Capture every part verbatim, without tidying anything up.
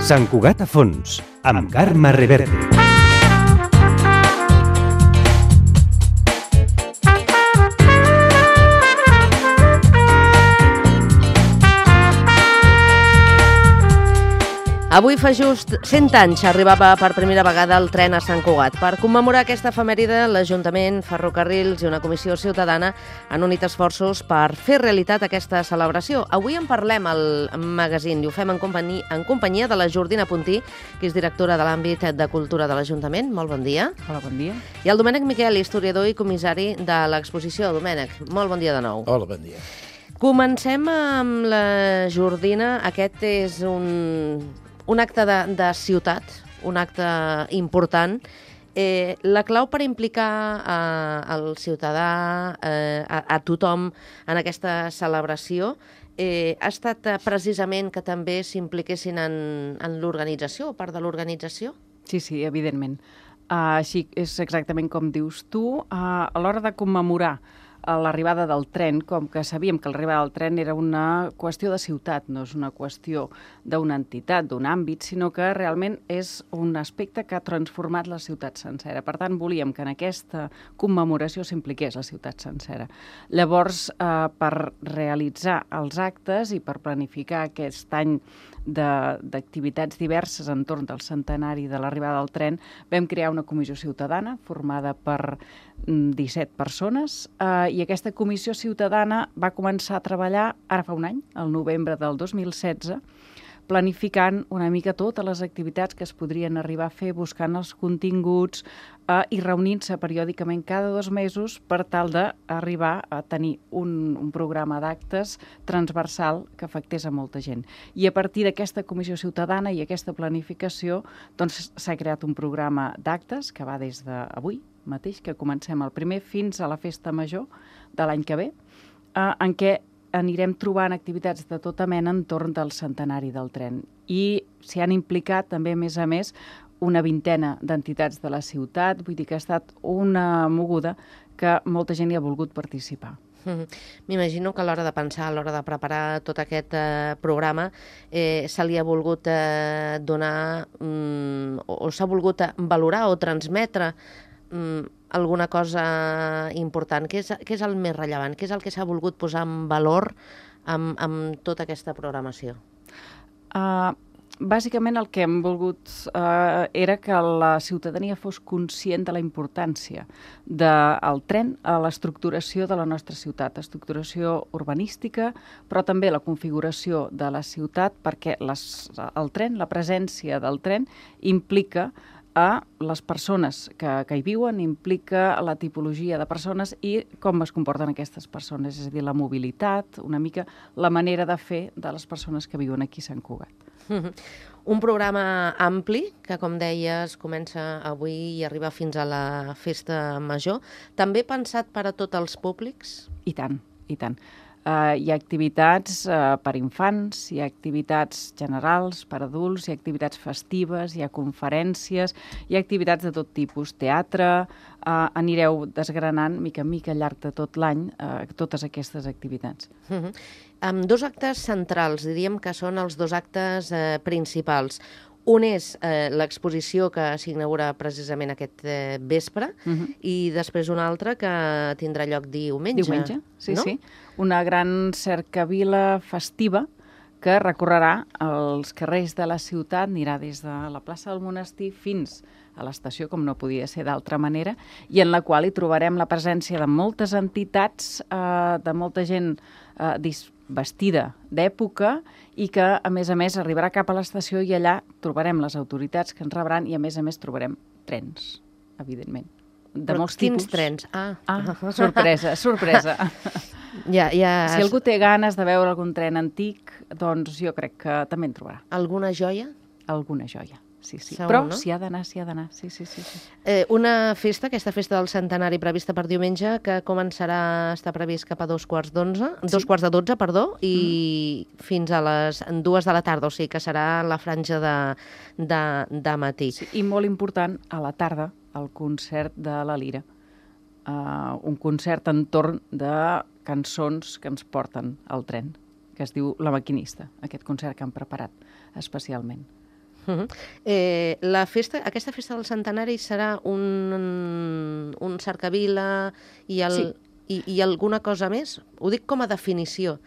Sant Cugat a fons, amb Carme Reverte. Avui fa just cent anys arribava per primera vegada el tren a Sant Cugat. Per commemorar aquesta efemèride, l'Ajuntament, Ferrocarrils i una comissió ciutadana han unit esforços per fer realitat aquesta celebració. Avui en parlem al magazín i ho fem en companyia, en companyia de la Jordina Puntí, que és directora de l'àmbit de cultura de l'Ajuntament. Molt bon dia. Hola, bon dia. I el Domènec Miquel, historiador i comissari de l'exposició. Domènec, molt bon dia de nou. Hola, bon dia. Comencem amb la Jordina. Aquest és un... un acte de, de ciutat, un acte important. Eh, la clau per implicar eh, el ciutadà, eh, a, a tothom en aquesta celebració, eh, ha estat eh, precisament que també s'impliquessin en, en l'organització, part de l'organització? Sí, sí, evidentment. Uh, així és exactament com dius tu. Uh, a l'hora de commemorar l'arribada del tren, com que sabíem que l'arribada del tren era una qüestió de ciutat, no és una qüestió d'una entitat, d'un àmbit, sinó que realment és un aspecte que ha transformat la ciutat sencera. Per tant, volíem que en aquesta commemoració s'impliqués la ciutat sencera. Llavors, eh, per realitzar els actes i per planificar aquest any d'activitats diverses entorn del centenari de l'arribada del tren, vam crear una comissió ciutadana formada per disset persones eh, i aquesta comissió ciutadana va començar a treballar ara fa un any, el novembre del dos mil setze, planificant una mica totes les activitats que es podrien arribar a fer, buscant els continguts eh, i reunint-se periòdicament cada dos mesos per tal d'arribar a tenir un, un programa d'actes transversal que afectés a molta gent. I a partir d'aquesta comissió ciutadana i aquesta planificació doncs, s'ha creat un programa d'actes que va des d'avui mateix, que comencem el primer, fins a la festa major de l'any que ve, eh, en què anirem trobant activitats de tota mena entorn del centenari del tren. I s'hi han implicat també, a més a més, una vintena d'entitats de la ciutat, vull dir que ha estat una moguda que molta gent hi ha volgut participar. M'imagino que a l'hora de pensar, a l'hora de preparar tot aquest eh, programa, eh, se li ha volgut eh, donar mm, o, o s'ha volgut valorar o transmetre mm, alguna cosa important. Què és, què és el més rellevant? Què és el que s'ha volgut posar en valor amb, amb tota aquesta programació? Uh, bàsicament el que hem volgut uh, era que la ciutadania fos conscient de la importància del tren a l'estructuració de la nostra ciutat, estructuració urbanística, però també la configuració de la ciutat, perquè les, el tren, la presència del tren, implica a les persones que, que hi viuen, implica la tipologia de persones i com es comporten aquestes persones, és a dir, la mobilitat, una mica la manera de fer de les persones que viuen aquí a Sant Cugat. Un programa ampli, que com deies comença avui i arriba fins a la festa major, també pensat per a tots els públics? I tant, i tant. Uh, hi ha activitats uh, per infants, hi ha activitats generals per adults, hi ha activitats festives, hi ha conferències, hi ha activitats de tot tipus, teatre, uh, anireu desgranant mica en mica al llarg de tot l'any uh, totes aquestes activitats. Uh -huh. Amb dos actes centrals, diríem que són els dos actes eh, principals. Un és eh, l'exposició que s'inaugura precisament aquest eh, vespre uh-huh. i després un altre que tindrà lloc diumenge. Diumenge, sí, no? sí. Una gran cercavila festiva que recorrerà els carrers de la ciutat, anirà des de la plaça del Monestir fins a l'estació, com no podia ser d'altra manera, i en la qual hi trobarem la presència de moltes entitats, eh, de molta gent eh, vestida d'època i que, a més a més, arribarà cap a l'estació i allà trobarem les autoritats que ens rebran i, a més a més, trobarem trens, evidentment. De Però molts quins tipus. trens? Ah, ah sorpresa, sorpresa. Ja, ja... Si algú té ganes de veure algun tren antic, doncs jo crec que també en trobarà. Alguna joia? Alguna joia, sí, sí. Segur, Però no? s'hi ha d'anar, s'hi ha d'anar, sí, sí, sí. sí. Eh, una festa, aquesta festa del centenari prevista per diumenge, que començarà, està previst cap a dos quarts d'onze, sí. dos quarts de dotze, perdó, i mm. fins a les dues de la tarda, o sigui que serà la franja de, de, de matí. Sí, i molt important, a la tarda, el concert de la Lira. Uh, un concert entorn de cançons que ens porten al tren, que es diu La Maquinista, aquest concert que han preparat especialment. Uh -huh. eh, la festa, aquesta festa del centenari serà un, un cercavila i, el, Sí. i, i alguna cosa més? Ho dic com a definició.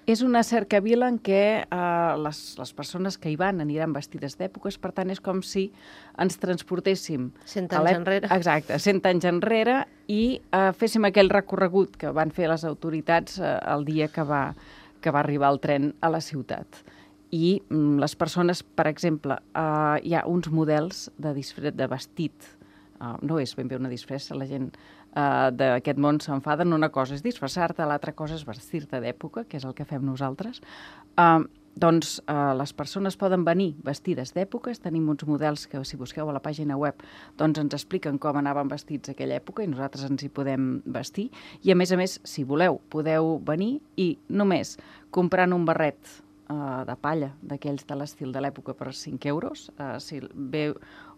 És una cercavila en què eh, les, les persones que hi van aniran vestides d'èpoques, per tant, és com si ens transportéssim... Cent a anys l'èp- enrere. Exacte, cent anys enrere, i eh, féssim aquell recorregut que van fer les autoritats eh, el dia que va, que va arribar el tren a la ciutat. I mm, les persones, per exemple, eh, hi ha uns models de, disfre de vestit, uh, no és ben bé una disfressa, la gent uh, d'aquest món s'enfaden, una cosa és disfressar-te, l'altra cosa és vestir-te d'època, que és el que fem nosaltres. Uh, doncs uh, les persones poden venir vestides d'èpoques, tenim uns models que, si busqueu a la pàgina web, doncs ens expliquen com anaven vestits aquella època i nosaltres ens hi podem vestir. I a més a més, si voleu, podeu venir i només comprant un barret Uh, de palla, d'aquells de l'estil de l'època, per cinc euros. Uh, si ve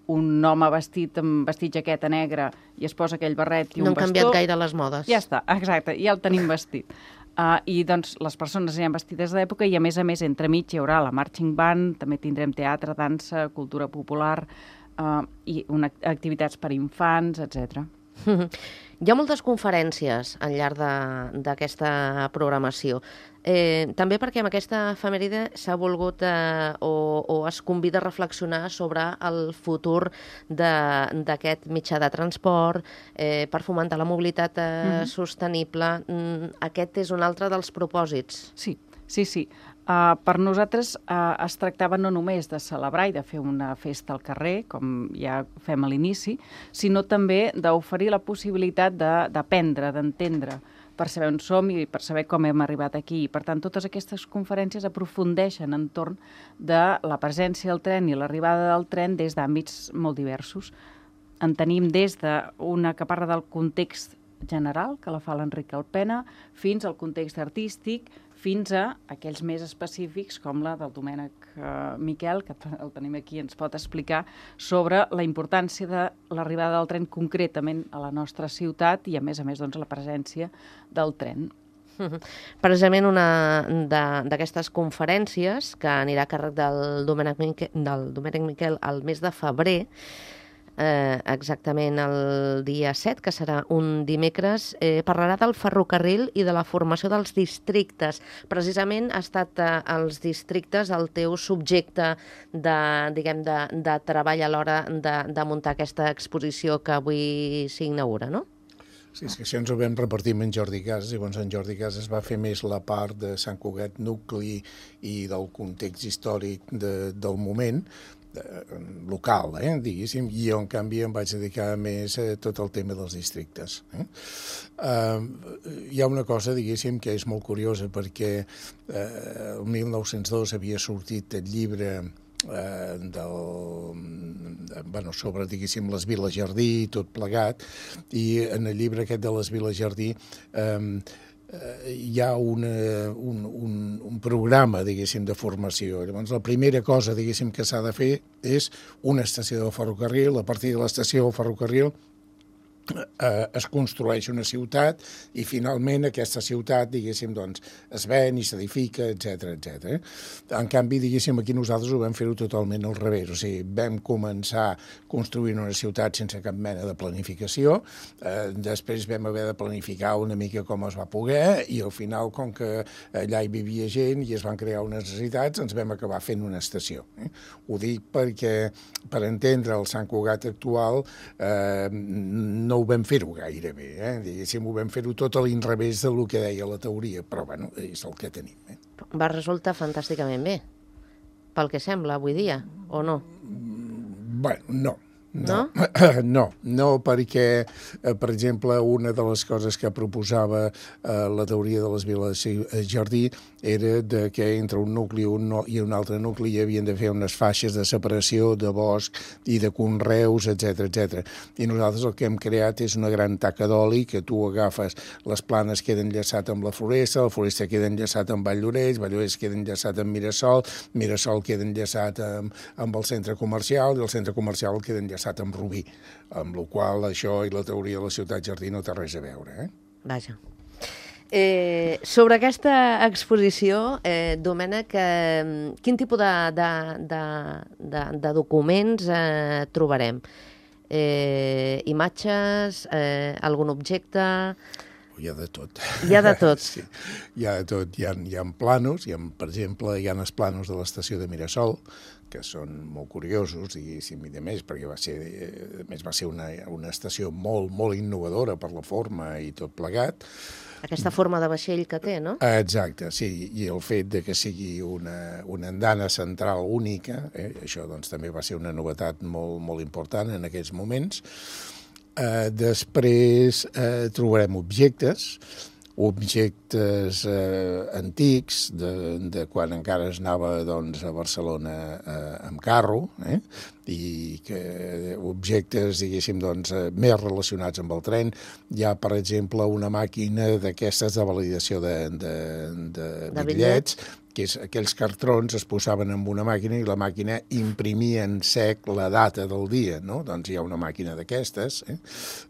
un home vestit amb vestit jaqueta negra i es posa aquell barret i No un han bastó... canviat gaire les modes. Ja està, exacte, ja el tenim vestit. Uh, I doncs les persones aniran vestides d'època i a més a més entremig hi haurà la marching band, també tindrem teatre, dansa, cultura popular uh, i una, activitats per infants, etcètera. Hi ha moltes conferències al llarg d'aquesta programació. Eh, també perquè amb aquesta efemèride s'ha volgut eh, o, o es convida a reflexionar sobre el futur d'aquest mitjà de transport, eh, per fomentar la mobilitat eh, mm-hmm. sostenible. Mm, aquest és un altre dels propòsits. Sí, sí, sí. Uh, per nosaltres uh, es tractava no només de celebrar i de fer una festa al carrer, com ja fem a l'inici, sinó també d'oferir la possibilitat d'aprendre, d'entendre, per saber on som i per saber com hem arribat aquí. Per tant, totes aquestes conferències aprofundeixen entorn de la presència del tren i l'arribada del tren des d'àmbits molt diversos. En tenim des d'una que parla del context general, que la fa l'Enric Alpena, fins al context artístic, fins a aquells més específics, com la del Domènec eh, Miquel, que el tenim aquí i ens pot explicar, sobre la importància de l'arribada del tren concretament a la nostra ciutat i, a més a més, doncs, la presència del tren. Precisament una d'aquestes conferències, que anirà a càrrec del Domènec Miquel, del Domènec Miquel al mes de febrer, Eh, exactament el dia set, que serà un dimecres, eh, parlarà del ferrocarril i de la formació dels districtes. Precisament ha estat eh, els districtes el teu subjecte de, diguem, de, de treball a l'hora de, de muntar aquesta exposició que avui s'inaugura, no? Sí, és que això ens ho vam repartir amb en Jordi Casas, llavors en Jordi Casas va fer més la part de Sant Cugat nucli i del context històric de, del moment, local, eh, diguéssim, i jo, en canvi, em vaig dedicar més a tot el tema dels districtes. Eh? Uh, hi ha una cosa, diguéssim, que és molt curiosa, perquè uh, el mil nou-cents dos havia sortit el llibre eh, del, bueno, sobre, diguéssim, les Viles Jardí i tot plegat, i en el llibre aquest de les Viles Jardí eh, hi ha una, un, un, un programa, diguéssim, de formació. Llavors, la primera cosa, diguéssim, que s'ha de fer és una estació de ferrocarril. A partir de l'estació de ferrocarril eh, es construeix una ciutat i, finalment, aquesta ciutat, diguéssim, doncs, es ven i s'edifica, etcètera, etcètera. En canvi, diguéssim, aquí nosaltres ho vam fer-ho totalment al revés. O sigui, vam començar construint una ciutat sense cap mena de planificació, eh, després vam haver de planificar una mica com es va poder i, al final, com que allà hi vivia gent i es van crear unes necessitats, ens vam acabar fent una estació. Eh? Ho dic perquè, per entendre el Sant Cugat actual, eh, no ho vam fer-ho gaire bé, eh? Diguéssim, ho vam fer-ho tot a l'inrevés del que deia la teoria, però, bueno, és el que tenim. Eh? Va resultar fantàsticament bé, pel que sembla avui dia, o no? Bueno, no. No? No, no, perquè, eh, per exemple, una de les coses que proposava eh, la teoria de les Viles Jardí era de que entre un nucli un no, i un altre nucli hi havien de fer unes faixes de separació de bosc i de conreus, etcètera, etcètera. I nosaltres el que hem creat és una gran taca d'oli que tu agafes, les planes queden enllaçat amb la floresta, la floresta queda enllaçat amb Valldoreix, Valldoreix queda enllaçat amb Mirasol, Mirasol queda enllaçat amb, amb el centre comercial i el centre comercial queda enllaçat amb Rubí, amb la qual això i la teoria de la ciutat jardí no té res a veure. Eh? Vaja. Eh, sobre aquesta exposició, eh, Domènec, eh, quin tipus de, de, de, de, de documents eh, trobarem? Eh, imatges, eh, algun objecte... Hi ha de tot. Hi ha de tot. Sí, hi ha de tot. Hi ha, hi ha planos, hi ha, per exemple, hi ha els planos de l'estació de Mirasol, que són molt curiosos, diguéssim, i de més, perquè va ser, a més va ser una, una estació molt, molt innovadora per la forma i tot plegat. Aquesta forma de vaixell que té, no? Exacte, sí, i el fet de que sigui una, una andana central única, eh, això doncs també va ser una novetat molt, molt important en aquells moments. Eh, després eh, trobarem objectes, objectes eh, antics, de, de quan encara es anava doncs, a Barcelona eh, amb carro, eh? I que objectes, diguéssim, doncs, eh, més relacionats amb el tren. Hi ha, per exemple, una màquina d'aquestes de validació de, de, de, de bitllets, que és, aquells cartrons es posaven en una màquina i la màquina imprimia en sec la data del dia, no? Doncs hi ha una màquina d'aquestes. Eh?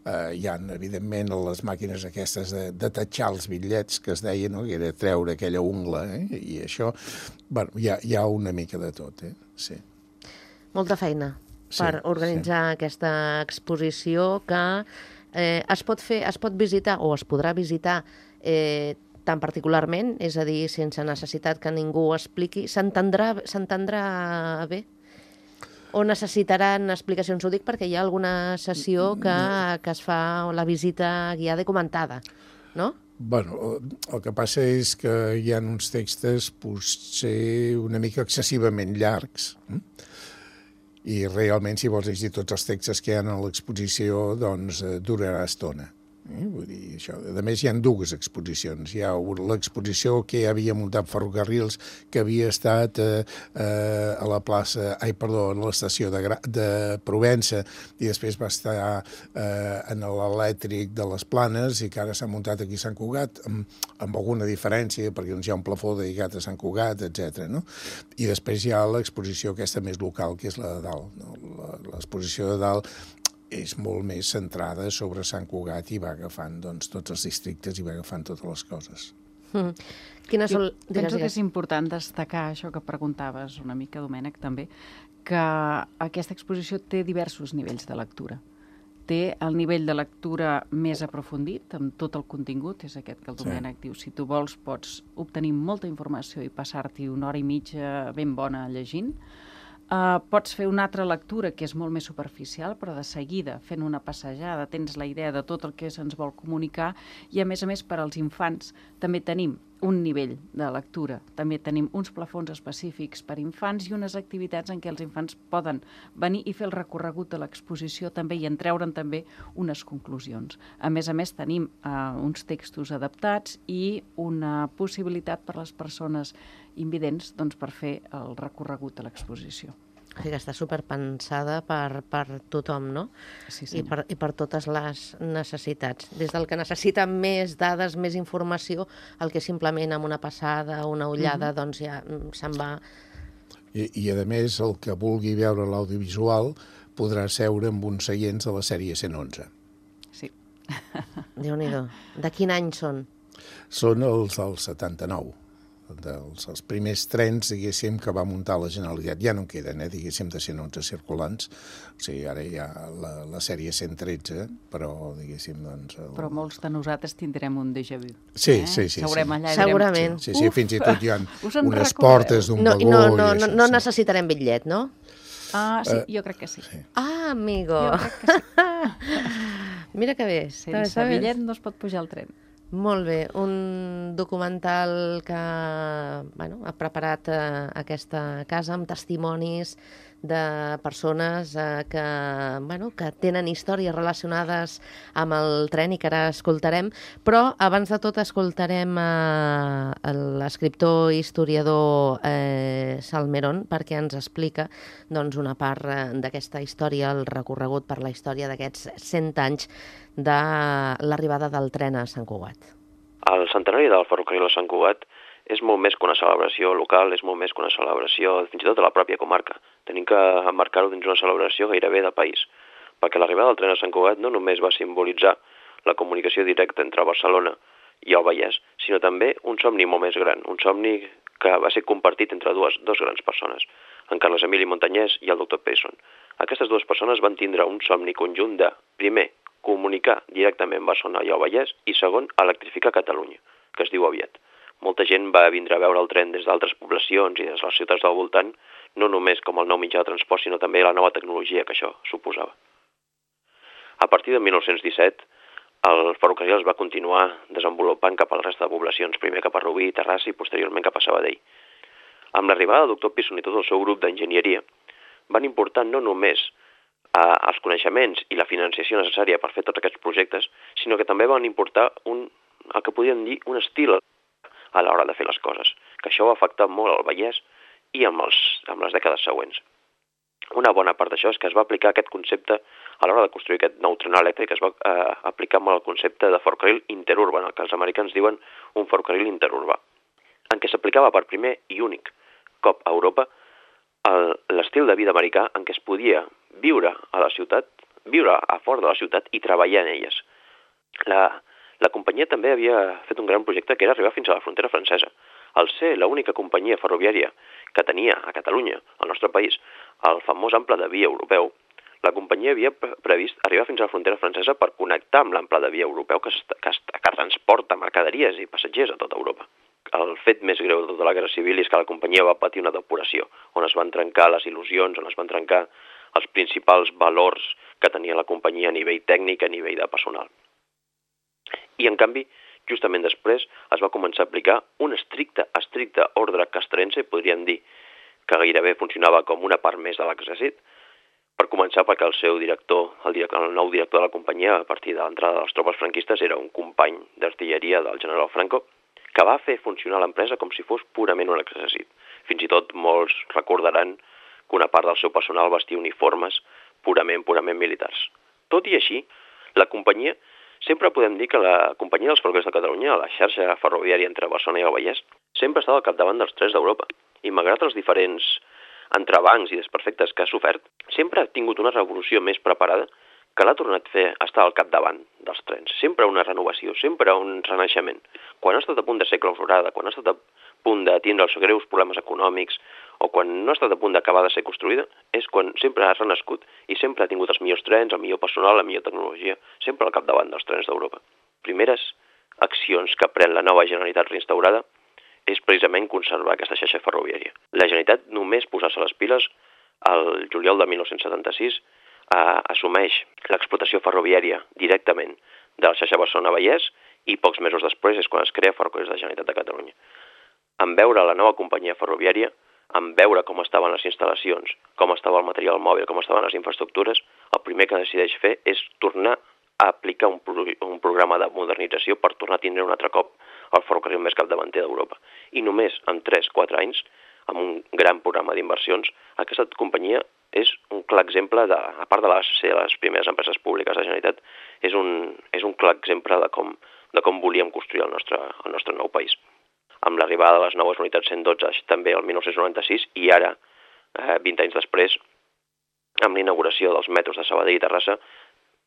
Uh, hi ha, evidentment, les màquines aquestes de, de tatxar els bitllets, que es deia, no? Que era treure aquella ungla, eh? I això, bueno, hi ha, hi ha una mica de tot, eh? Sí. Molta feina Sí, per organitzar sí. aquesta exposició que eh, es pot fer, es pot visitar o es podrà visitar eh, tan particularment, és a dir, sense necessitat que ningú ho expliqui. S'entendrà s'entendrà bé? O necessitaran explicacions? Ho dic perquè hi ha alguna sessió que, que es fa la visita guiada i comentada, no? Bueno, el que passa és que hi ha uns textos potser una mica excessivament llargs, eh? I realment, si vols llegir tots els textos que hi ha a l'exposició, doncs eh, durarà estona. Eh? Vull dir, això. A més, hi ha dues exposicions. Hi ha l'exposició que havia muntat Ferrocarrils, que havia estat eh, eh, a la plaça, ai, perdó, a l'estació de, de Provença, i després va estar eh, en l'elèctric de les Planes, i que ara s'ha muntat aquí a Sant Cugat, amb, amb alguna diferència, perquè doncs, hi ha un plafó dedicat a Sant Cugat, etcètera. No? I després hi ha l'exposició aquesta més local, que és la de dalt. No? L'exposició de dalt és molt més centrada sobre Sant Cugat i va agafant doncs, tots els districtes i va agafant totes les coses. Mm. Quines són... Jo penso que és important destacar això que preguntaves una mica, Domènec, també, que aquesta exposició té diversos nivells de lectura. Té el nivell de lectura més aprofundit, amb tot el contingut, és aquest que el Domènec sí. diu, si tu vols pots obtenir molta informació i passar-t'hi una hora i mitja ben bona llegint. Uh, pots fer una altra lectura que és molt més superficial, però de seguida, fent una passejada, tens la idea de tot el que se'ns vol comunicar i, a més a més, per als infants també tenim un nivell de lectura. També tenim uns plafons específics per infants i unes activitats en què els infants poden venir i fer el recorregut de l'exposició també i en treure'n també unes conclusions. A més a més, tenim uh, uns textos adaptats i una possibilitat per a les persones invidents doncs, per fer el recorregut de l'exposició. O sigui que està superpensada per, per tothom, no? Sí, I, per, I per totes les necessitats. Des del que necessita més dades, més informació, el que simplement amb una passada, una ullada, uh-huh. doncs ja se'n va... I, I, a més, el que vulgui veure l'audiovisual podrà seure amb uns seients de la sèrie cent onze. Sí. Déu-n'hi-do. De quin any són? Són els del setanta-nou. Dels els primers trens, diguéssim, que va muntar la Generalitat. Ja no en queden, eh, diguéssim, de cent onze circulants. O sigui, ara hi ha la, la sèrie cent tretze, però, diguéssim, doncs... El... Però molts de nosaltres tindrem un déjà vu. Sí, eh? sí, sí. Seurem allà i Segurament. Sí, sí, fins i tot hi ha unes recordeu? Portes d'un no, vagó no, no, i això. No, no sí. necessitarem bitllet, no? Ah, sí, Uh, jo crec que sí. sí. Ah, amigo! Jo crec que sí. Mira que bé. Sense bitllet no es pot pujar al tren. Molt bé, un documental que bueno, ha preparat eh, aquesta casa amb testimonis de persones eh, que, bueno, que tenen històries relacionades amb el tren i que ara escoltarem, però abans de tot escoltarem eh, l'escriptor i historiador eh, Salmerón perquè ens explica doncs, una part eh, d'aquesta història, el recorregut per la història d'aquests cent anys de l'arribada del tren a Sant Cugat. El centenari del ferrocarril a Sant Cugat és molt més que una celebració local, és molt més que una celebració fins i tot de la pròpia comarca. Tenim que emmarcar-ho dins una celebració gairebé de país, perquè l'arribada del tren a Sant Cugat no només va simbolitzar la comunicació directa entre Barcelona i el Vallès, sinó també un somni molt més gran, un somni que va ser compartit entre dues, dos grans persones, en Carles Emili Montanyès i el doctor Payson. Aquestes dues persones van tindre un somni conjunt de, primer, comunicar directament Barcelona i el Vallès i, segon, electrificar Catalunya, que es diu aviat. Molta gent va vindre a veure el tren des d'altres poblacions i des de les ciutats del voltant, no només com el nou mitjà de transport, sinó també la nova tecnologia que això suposava. A partir de mil nou-cents disset, el ferrocarril es va continuar desenvolupant cap a la resta de poblacions, primer cap a Rubí, Terrassa i posteriorment cap a Sabadell. Amb l'arribada del doctor Payson i tot el seu grup d'enginyeria, van importar no només eh, els coneixements i la financiació necessària per fer tots aquests projectes, sinó que també van importar un, el que podríem dir un estil a l'hora de fer les coses, que això va afectar molt al Vallès i amb, els, amb les dècades següents. Una bona part d'això és que es va aplicar aquest concepte a l'hora de construir aquest nou tren elèctric, es va eh, aplicar molt el concepte de ferrocarril interurban, el que els americans diuen un ferrocarril interurbà, en què s'aplicava per primer i únic cop a Europa l'estil de vida americà en què es podia viure a la ciutat, viure a fora de la ciutat i treballar en elles. La, la companyia també havia fet un gran projecte que era arribar fins a la frontera francesa. Al ser l'única companyia ferroviària que tenia a Catalunya, al nostre país, el famós ample de via europeu, la companyia havia previst arribar fins a la frontera francesa per connectar amb l'ample de via europeu que, que, que transporta mercaderies i passatgers a tota Europa. El fet més greu de tota la Guerra Civil és que la companyia va patir una depuració, on es van trencar les il·lusions, on es van trencar els principals valors que tenia la companyia a nivell tècnic, a nivell de personal. I, en canvi, justament després es va començar a aplicar un estricte, estricte ordre castrense, podríem dir que gairebé funcionava com una part més de l'exèrcit, per començar perquè el seu director, el, director, el nou director de la companyia, a partir de l'entrada de les tropes franquistes, era un company d'artilleria del general Franco, que va fer funcionar l'empresa com si fos purament un exèrcit. Fins i tot molts recordaran que una part del seu personal vestia uniformes purament, purament militars. Tot i així, la companyia, sempre podem dir que la companyia dels ferrocarrils de Catalunya, la xarxa ferroviària entre Barcelona i el Vallès, sempre estava al capdavant dels trens d'Europa. I malgrat els diferents entrebancs i desperfectes que ha sofert, sempre ha tingut una revolució més preparada que l'ha tornat a fer estar al capdavant dels trens. Sempre una renovació, sempre un renaixement. Quan ha estat a punt de ser clausurada, quan ha estat a punt de tindre els greus problemes econòmics o quan no ha estat a punt d'acabar de ser construïda, és quan sempre ha renascut i sempre ha tingut els millors trens, el millor personal, la millor tecnologia, sempre al capdavant dels trens d'Europa. Primeres accions que pren la nova Generalitat reinstaurada és precisament conservar aquesta xarxa ferroviària. La Generalitat només posar-se les piles el juliol de mil nou-cents setanta-sis eh, assumeix l'explotació ferroviària directament de la xarxa Barcelona-Vallès i pocs mesos després és quan es crea Ferrocarrils de la Generalitat de Catalunya. En veure la nova companyia ferroviària, en veure com estaven les instal·lacions, com estava el material mòbil, com estaven les infraestructures, el primer que decideix fer és tornar a aplicar un, pro un programa de modernització per tornar a tindre un altre cop el ferrocarril més capdavanter d'Europa. I només en tres a quatre anys, amb un gran programa d'inversions, aquesta companyia és un clar exemple, de, a part de les, ser les primeres empreses públiques de la Generalitat, és un, és un clar exemple de com, de com volíem construir el nostre, el nostre nou país. Amb l'arribada de les noves unitats cent dotze, també el mil nou-cents noranta-sis, i ara, eh, vint anys després, amb l'inauguració dels metros de Sabadell i Terrassa,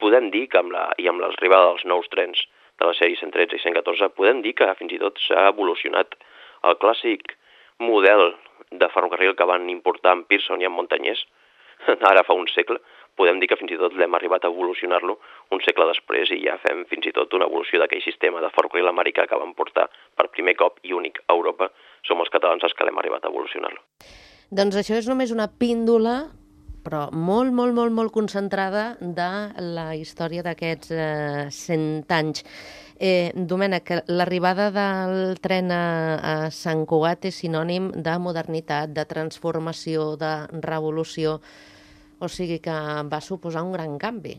podem dir que amb la, i amb l'arribada dels nous trens de la sèrie cent tretze i cent catorze, podem dir que fins i tot s'ha evolucionat el clàssic model de ferrocarril que van importar en Pearson i en Montanyès, ara fa un segle, podem dir que fins i tot l'hem arribat a evolucionar-lo un segle després i ja fem fins i tot una evolució d'aquell sistema de ferrocarril americà que van portar per primer cop i únic a Europa. Som els catalans els que l'hem arribat a evolucionar-lo. Doncs això és només una píndola, però molt, molt, molt, molt concentrada de la història d'aquests eh, cent anys. Eh, Domènec, l'arribada del tren a, a Sant Cugat és sinònim de modernitat, de transformació, de revolució, o sigui que va suposar un gran canvi.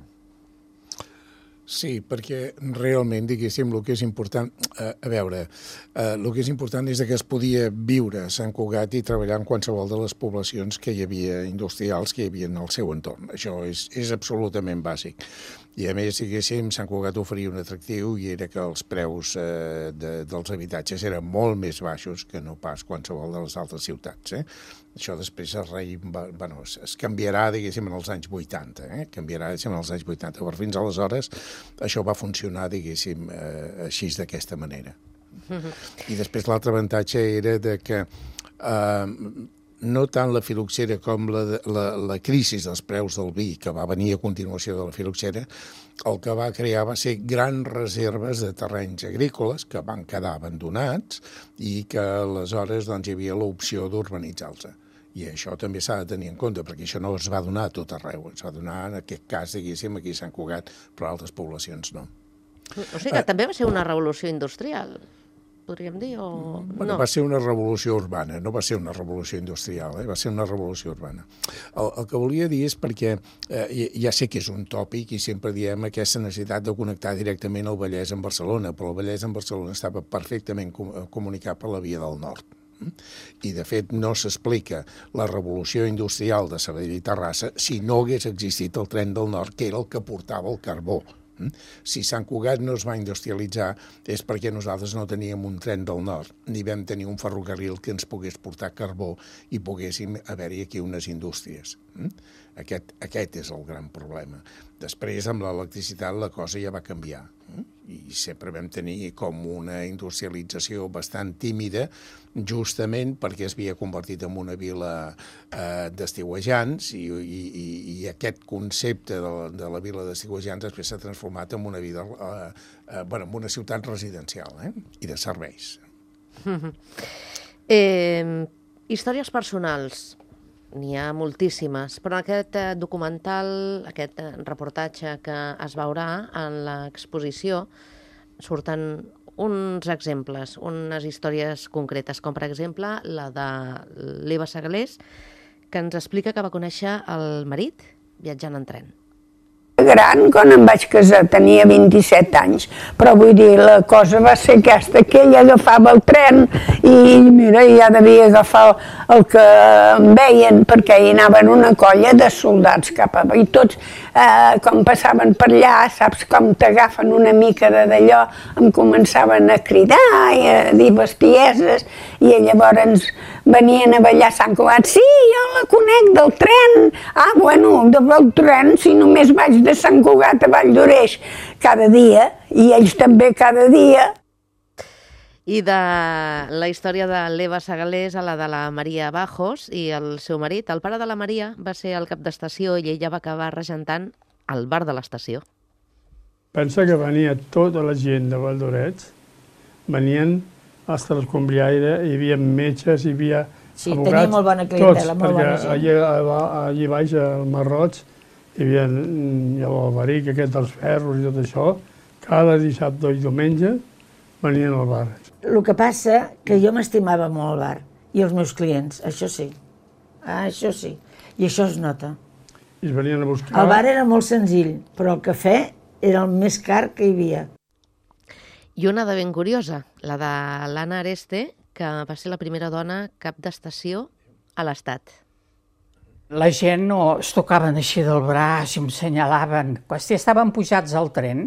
Sí, perquè realment, diguéssim, el que és important, eh, a veure, eh, el que és important és que es podia viure a Sant Cugat i treballar en qualsevol de les poblacions que hi havia industrials que hi havia en el seu entorn. Això és, és absolutament bàsic. I a més, diguéssim, Sant Cugat oferia un atractiu i era que els preus eh, de, dels habitatges eren molt més baixos que no pas qualsevol de les altres ciutats. Eh? Això després es, rei, bueno, es, es canviarà, diguéssim, en els anys vuitanta. Eh? Canviarà, diguéssim, en els anys vuitanta. Però fins aleshores això va funcionar, diguéssim, eh, així d'aquesta manera. Mm-hmm. I després l'altre avantatge era de que eh, no tant la filoxera com la, la, la crisi dels preus del vi, que va venir a continuació de la filoxera, el que va crear va ser grans reserves de terrenys agrícoles que van quedar abandonats i que aleshores doncs, hi havia l'opció d'urbanitzar-los. I això també s'ha de tenir en compte, perquè això no es va donar a tot arreu. Es va donar, en aquest cas, diguéssim, aquí a Sant Cugat, però a altres poblacions no. O sigui que eh, també va ser una revolució industrial, podríem dir, o bueno, no? Va ser una revolució urbana, no va ser una revolució industrial, eh? Va ser una revolució urbana. El, el que volia dir és perquè eh, ja sé que és un tòpic i sempre diem aquesta necessitat de connectar directament el Vallès amb Barcelona, però el Vallès amb Barcelona estava perfectament com, comunicat per la Via del Nord. I, de fet, no s'explica la revolució industrial de Sabadell i Terrassa si no hagués existit el tren del Nord, que era el que portava el carbó. Si Sant Cugat no es va industrialitzar és perquè nosaltres no teníem un tren del nord, ni vam tenir un ferrocarril que ens pogués portar carbó i poguéssim haver-hi aquí unes indústries. Aquest, aquest és el gran problema. Després, amb l'electricitat, la cosa ja va canviar. I sempre vam tenir com una industrialització bastant tímida, justament perquè es havia convertit en una vila eh, d'estiuejants i, i, i aquest concepte de la, de la vila d'estiuejants després s'ha transformat en una, vida, eh, eh, bueno, en una ciutat residencial eh, i de serveis. eh, històries personals. N'hi ha moltíssimes, però en aquest eh, documental, aquest eh, reportatge que es veurà en l'exposició, surten uns exemples, unes històries concretes, com per exemple la de l'Eva Segalés, que ens explica que va conèixer el marit viatjant en tren. Gran, quan em vaig casar, tenia vint-i-set anys, però vull dir, la cosa va ser aquesta, que ell agafava el tren i mira, ja devia agafar el que em veien, perquè hi anaven una colla de soldats cap a... I tots, eh, com passaven per allà, saps com t'agafen una mica d'allò, em començaven a cridar i a dir bestieses, i llavors venien a ballar a Sant Cugat. Sí, jo la conec del tren. Ah, bueno, del tren, si només vaig de Sant Cugat a Valldoreix cada dia, i ells també cada dia. I de la història de l'Eva Segalés a la de la Maria Bajos i el seu marit. El pare de la Maria va ser el cap d'estació i ella va acabar regentant el bar de l'estació. Pensa que venia tota la gent de Valldoreix, venien fins a l'escombriaire, hi havia metges, hi havia sí, abogats, tenia molt bona clientela, tots, molt bona perquè allà, allà baix, al Marroig, hi havia l'Alberic, aquest dels ferros i tot això, cada dissabte i diumenge venien al bar. El que passa que jo m'estimava molt el bar i els meus clients, això sí, això sí, i això es nota. I es venien a buscar... El bar era molt senzill, però el cafè era el més car que hi havia. I una de ben curiosa, la de l'Anna Areste, que va ser la primera dona cap d'estació a l'Estat. La gent no es tocaven així del braç i em senyalaven. Si estaven pujats al tren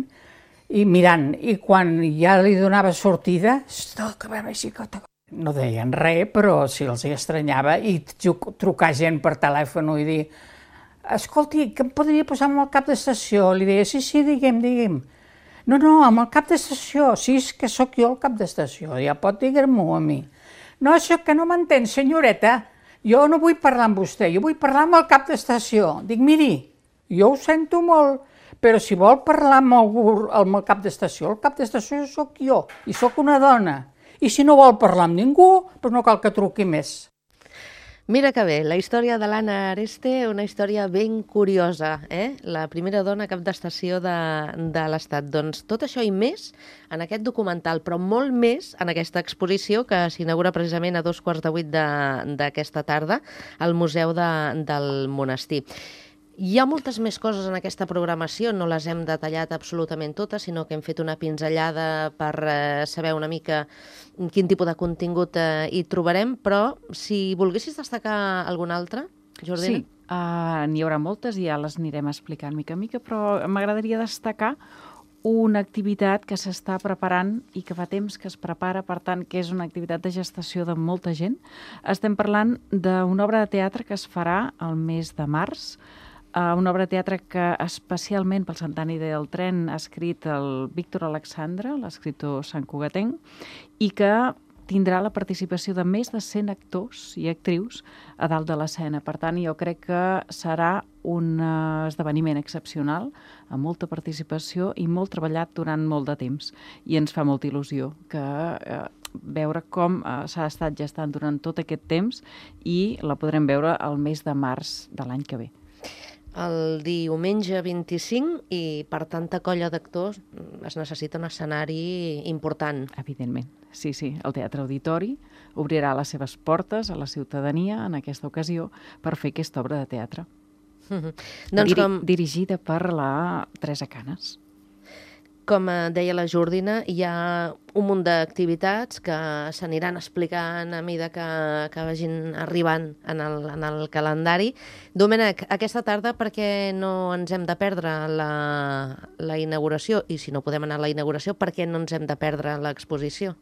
i mirant, i quan ja li donava sortida, no deien res, però si els hi estranyava, i trucar gent per telèfon i dir escolti, que em podria posar amb el cap d'estació? Li deia, sí, sí, digue'm, digue'm. No, no, amb el cap d'estació, sí, és que sóc jo el cap d'estació, ja pot dir-m'ho a mi. No, això que no m'entén, senyoreta, jo no vull parlar amb vostè, jo vull parlar amb el cap d'estació. Dic, miri, jo ho sento molt, però si vol parlar amb algú, amb el cap d'estació, el cap d'estació sóc jo, i sóc una dona. I si no vol parlar amb ningú, doncs no cal que truqui més. Mira que bé, la història de l'Anna Areste, una història ben curiosa, eh? La primera dona cap d'estació de, de l'Estat. Doncs tot això i més en aquest documental, però molt més en aquesta exposició que s'inaugura precisament a dos quarts de vuit d'aquesta tarda al Museu de, del Monestir. Hi ha moltes més coses en aquesta programació, no les hem detallat absolutament totes, sinó que hem fet una pinzellada per eh, saber una mica quin tipus de contingut eh, hi trobarem, però si volguessis destacar algun altre, Jordina? Sí, Uh, N'hi haurà moltes i ja les anirem explicant mica a mica, però m'agradaria destacar una activitat que s'està preparant i que fa temps que es prepara, per tant, que és una activitat de gestació de molta gent. Estem parlant d'una obra de teatre que es farà el mes de març, uh, una obra de teatre que especialment pel centenari del tren ha escrit el Víctor Alexandre, l'escriptor santcugatenc, i que tindrà la participació de més de cent actors i actrius a dalt de l'escena. Per tant, jo crec que serà un esdeveniment excepcional, amb molta participació i molt treballat durant molt de temps. I ens fa molta il·lusió que eh, veure com eh, s'ha estat gestant durant tot aquest temps i la podrem veure el mes de març de l'any que ve. El diumenge vint-i-cinc i per tanta colla d'actors es necessita un escenari important. Evidentment, sí, sí. El Teatre Auditori obrirà les seves portes a la ciutadania en aquesta ocasió per fer aquesta obra de teatre. Mm-hmm. Doncs Diri com... Dirigida per la Teresa Canes. Com deia la Jordina, hi ha un munt d'activitats que s'aniran explicant a mesura que, que vagin arribant en el, en el calendari. Domènec, aquesta tarda per què no ens hem de perdre la, la inauguració? I si no podem anar a la inauguració, per què no ens hem de perdre l'exposició?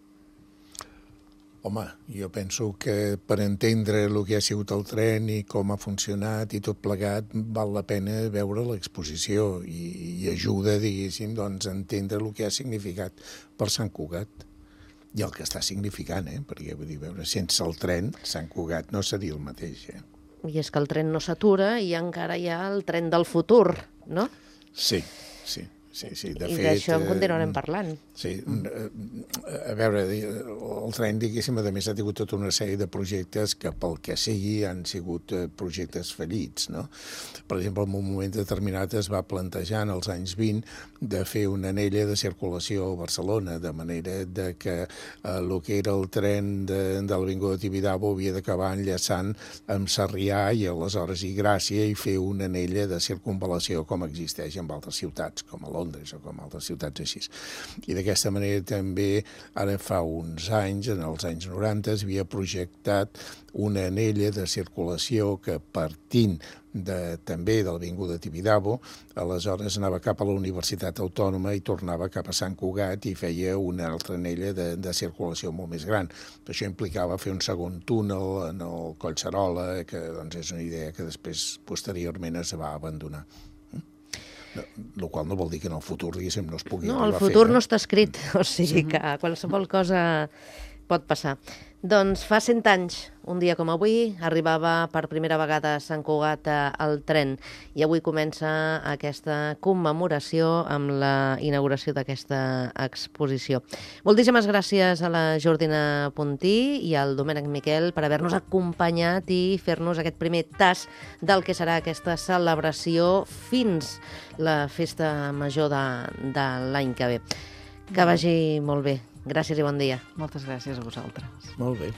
Home, jo penso que per entendre el que ha sigut el tren i com ha funcionat i tot plegat, val la pena veure l'exposició i, i ajuda, diguéssim, doncs, a entendre el que ha significat per Sant Cugat i el que està significant, eh? Perquè, vull dir, veure, sense el tren, Sant Cugat no seria el mateix, eh? I és que el tren no s'atura i encara hi ha el tren del futur, no? Sí, sí. Sí, sí, de I fet, d'això en continuarem eh, parlant. Sí, a veure, el tren, diguéssim, a més ha tingut tota una sèrie de projectes que pel que sigui han sigut projectes fallits, no? Per exemple, en un moment determinat es va plantejar en els anys vint de fer una anella de circulació a Barcelona, de manera de que el que era el tren de, de l'Avinguda Tibidabo havia d'acabar enllaçant amb Sarrià i aleshores i Gràcia i fer una anella de circunvalació com existeix en altres ciutats, com a Londres o com altres ciutats així. I d'aquesta manera també, ara fa uns anys, en els anys noranta, es havia projectat una anella de circulació que partint de, també de l'Avinguda Tibidabo, aleshores anava cap a la Universitat Autònoma i tornava cap a Sant Cugat i feia una altra anella de, de circulació molt més gran. Això implicava fer un segon túnel en el Collserola, que doncs, és una idea que després, posteriorment, es va abandonar. El qual no vol dir que en el futur, diguéssim, no es pugui no, arribar a fer. El futur eh? no està escrit, o sigui que qualsevol cosa pot passar. Doncs fa cent anys, un dia com avui, arribava per primera vegada a Sant Cugat el tren i avui comença aquesta commemoració amb la inauguració d'aquesta exposició. Moltíssimes gràcies a la Jordina Puntí i al Domènec Miquel per haver-nos acompanyat i fer-nos aquest primer tas del que serà aquesta celebració fins la festa major de, de l'any que ve. Que vagi molt bé. Gràcies i bon dia. Moltes gràcies a vosaltres. Molt bé.